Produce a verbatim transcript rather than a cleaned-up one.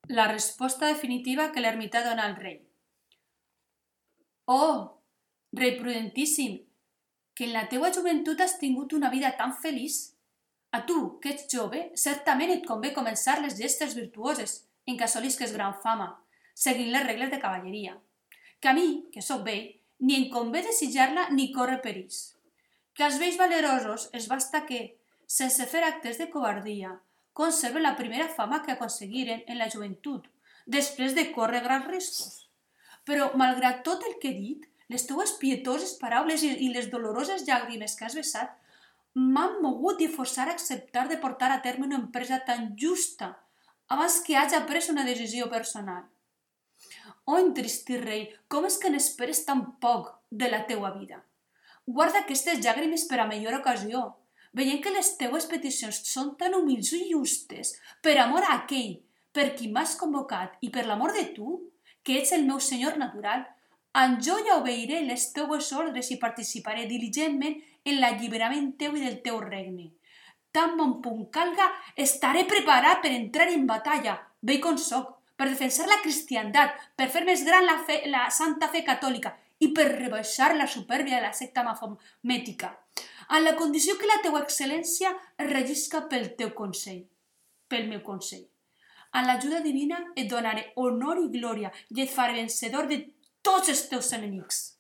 La resposta definitiva que l'ermità dona al rei. Oh, rei prudentíssim, que en la teua joventut has tingut una vida tan feliç. A tu, que ets jove, certament et convé començar les gestes virtuoses en què assolisques gran fama, seguint les regles de cavalleria. Que a mi, que sóc vell, ni em convé desitjar-la ni córrer perills. Que als vells valerosos es basta que, sense fer actes de covardia, conserven la primera fama que aconseguiren en la joventut, després de córrer grans riscos. Però, malgrat tot el que he dit, les teues pietoses paraules i les doloroses llàgrimes que has vessat m'han mogut i forçat a acceptar de portar a terme una empresa tan justa abans que haja pres una decisió personal. Oh, entristit rei, com és que n'esperes tan poc de la teua vida? Guarda aquestes llàgrimes per a millor ocasió, veient que les teues peticions són tan humils i justes, per amor a aquell per qui m'has convocat i per l'amor de tu, que ets el meu senyor natural, en jo ja obeiré les teues ordres i participaré diligentment en l'alliberament teu i del teu regne. Tan bon punt calga, estaré preparat per entrar en batalla, vell com soc, per defensar la cristiandat, per fer més gran la, fe, la santa fe catòlica i per rebaixar la supèrbia de la secta mafomètica, en la condició que la teua excel·lència es regisca pel teu consell, pel meu consell. En l'ajuda divina et donaré honor i glòria i et faré vencedor de tots els teus enemics.